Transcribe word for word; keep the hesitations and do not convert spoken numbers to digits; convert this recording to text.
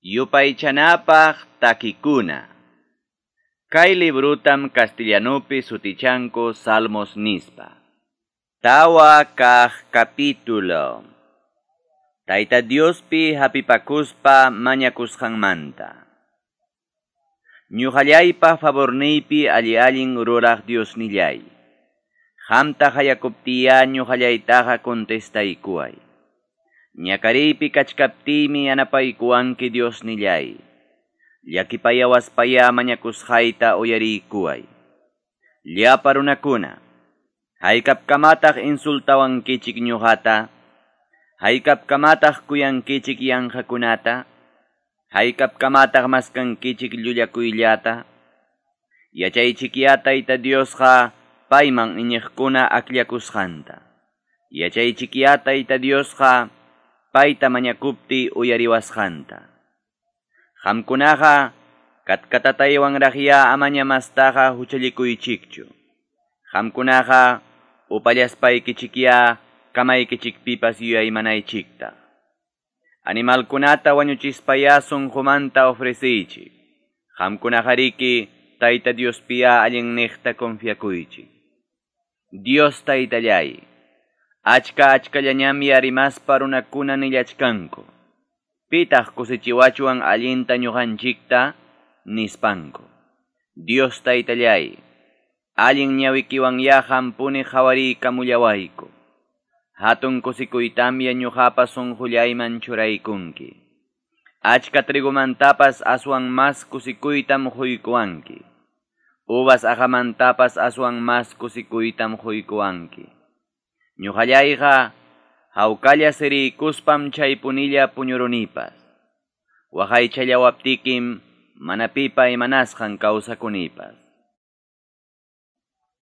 Yupaychanapaq takikuna. Kay librutam castellanupi sutichanku Salmos nispa. Tawa kaq capítulo. Tayta Diospi hapipakuspa mañakusqanmanta. Ñuqallaypa favorniypi alli allin ruraq Diosnillay. Qamta qayakuptiya ñuqallaytaqa contestaykuway. Ñakariypi kachkaptiymi yanapaykuwanki Diosnillay. Llakipayawaspaya mañakusqayta uyariykuway. Llapa runakuna, haykapkamataq insultawankichik ñuqata, haykapkamataq kuyankichik yanqakunata, haykapkamataq maskankichik llullakuyllata. Yachaychikya Tayta Diosqa payman iñiqkuna akllakusqanta. Yachaychikya Tayta Diosqa payta mañakupti uyariwasqanta. Qamkunaqa katkatataywanraqya amaña mastaqa huchallikuychikchu. Qamkunaqa upallaspaykichikya kamaykichikpipas yuyaymanaychikta. Animalkunata wañuchispaya sunqumanta ofreceychik. Qamkunaqariki Tayta Diospiya allinniqta confiakuychik. Dios Taytallay, achka achkallañamya rimaspa runakuna nillachkanku. Pitaq kusichiwachwan allinta ñuqanchikta nispanku. Dios Taytallay, allin ñawikiwanya hampuni qhawariykamullawayku. Hatun kusikuytamya ñuqapa sunqullayman churaykunki. Achka trigumantapas aswan mas kusikuytam quykuwanki. Uvas aqamantapas aswan mas kusikuytam quykuwanki. Ñuqallayqa hawkalla siriykuspam chaypunilla puñurunipas. Waqaychallawaptikim mana pipa imanasqan kawsakunipas.